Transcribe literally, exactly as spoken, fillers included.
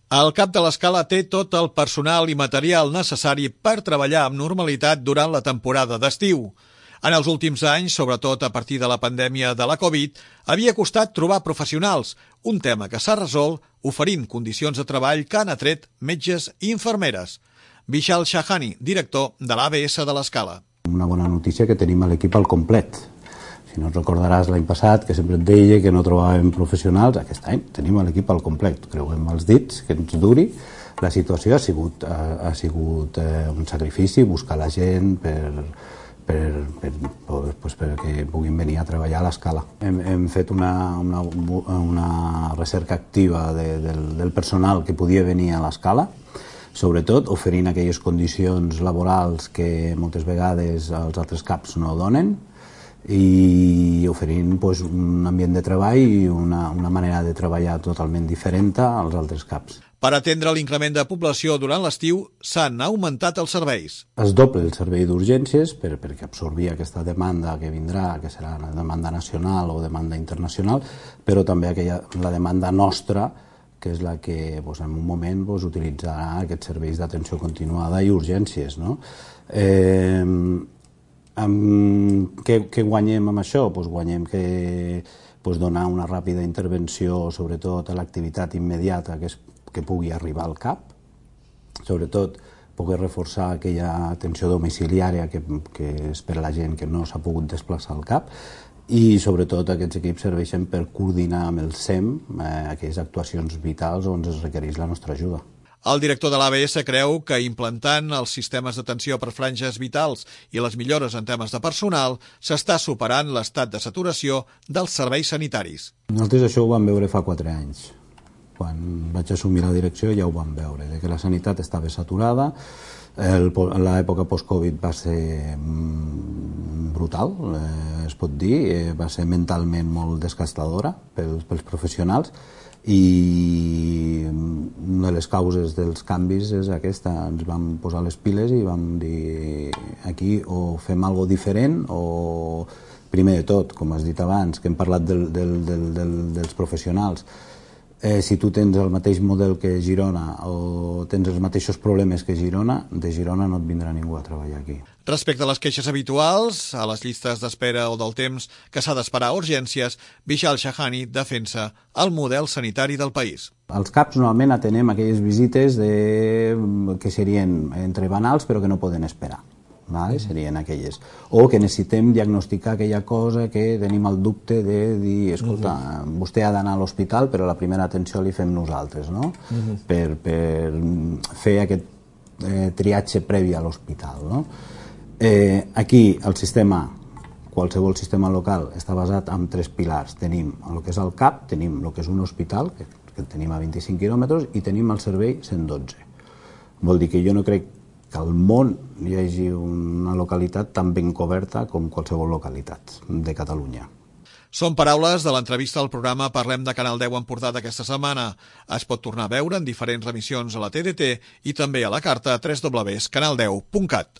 El cap de l'Escala té tot el personal i material necessari per treballar amb normalitat durant la temporada d'estiu. En els últims anys, sobretot a partir de la pandèmia de la Covid, havia costat trobar professionals, un tema que s'ha resolt oferint condicions de treball que han atret metges i infermeres. Vishal Shahani, director de l'A B S de l'Escala. Una bona notícia que tenim l'equip al complet. Si no et recordaràs l'any passat que sempre et deia que no trobàvem professionals, aquest any tenim l'equip al complet. Creuem els dits, que ens duri. La situació ha sigut, ha, ha sigut eh, un sacrifici, buscar la gent per, per, per, pues, perquè puguin venir a treballar a l'Escala. Hem, hem fet una, una, una recerca activa de, del, del personal que podia venir a l'Escala, sobretot oferint aquelles condicions laborals que moltes vegades els altres caps no donen, i oferint pues, un ambient de treball i una, una manera de treballar totalment diferent als altres caps. Per atendre l'increment de població durant l'estiu s'han augmentat els serveis. Es doble el servei d'urgències per, perquè absorbir aquesta demanda que vindrà, que serà una demanda nacional o demanda internacional, però també aquella, la demanda nostra, que és la que pues, en un moment pues, utilitzarà aquests serveis d'atenció continuada i urgències. No? Eh, Amb, què, què guanyem amb això? Pues guanyem que pues donar una ràpida intervenció, sobretot a l'activitat immediata que, es, que pugui arribar al cap, sobretot poder reforçar aquella atenció domiciliària que, que és per a la gent que no s'ha pogut desplaçar al cap, i sobretot aquests equips serveixen per coordinar amb el S E M eh, aquelles actuacions vitals on es requereix la nostra ajuda. El director de l'A B S creu que implantant els sistemes d'atenció per franges vitals i les millores en temes de personal s'està superant l'estat de saturació dels serveis sanitaris. Nosaltres això ho vam veure fa quatre anys. Quan vaig assumir la direcció ja ho vam veure, de que la sanitat estava saturada. L'època post-Covid va ser brutal, eh, es pot dir, eh, va ser mentalment molt desgastadora pels, pels professionals, i una de les causes dels canvis és aquesta. Ens vam posar les piles i vam dir aquí o fem alguna cosa diferent o, primer de tot, com has dit abans, que hem parlat del, del, del, del, dels professionals, eh, si tu tens el mateix model que Girona o tens els mateixos problemes que Girona, de Girona no et vindrà ningú a treballar aquí. Respecte a les queixes habituals, a les llistes d'espera o del temps que s'ha d'esperar a urgències, Vishal Shahani defensa el model sanitari del país. Als CAPs normalment atenem aquelles visites de, que serien entre banals però que no poden esperar. Vale? Serien aquelles. O que necessitem diagnosticar aquella cosa que tenim el dubte de dir, escolta, uh-huh. vostè ha d'anar a l'hospital però la primera atenció li fem nosaltres, no? Uh-huh. per, per fer aquest eh, triatge previ a l'hospital, no? Eh, aquí el sistema, qualsevol sistema local, està basat en tres pilars. Tenim el que és el CAP, tenim el que és un hospital, que, que tenim a vint-i-cinc quilòmetres, i tenim el servei cent dotze. Vol dir que jo no crec que al món hi hagi una localitat tan ben coberta com qualsevol localitat de Catalunya. Són paraules de l'entrevista al programa Parlem de Canal deu Empordà d'aquesta setmana. Es pot tornar a veure en diferents remissions a la T D T i també a la carta a w w w punt canal deu punt cat.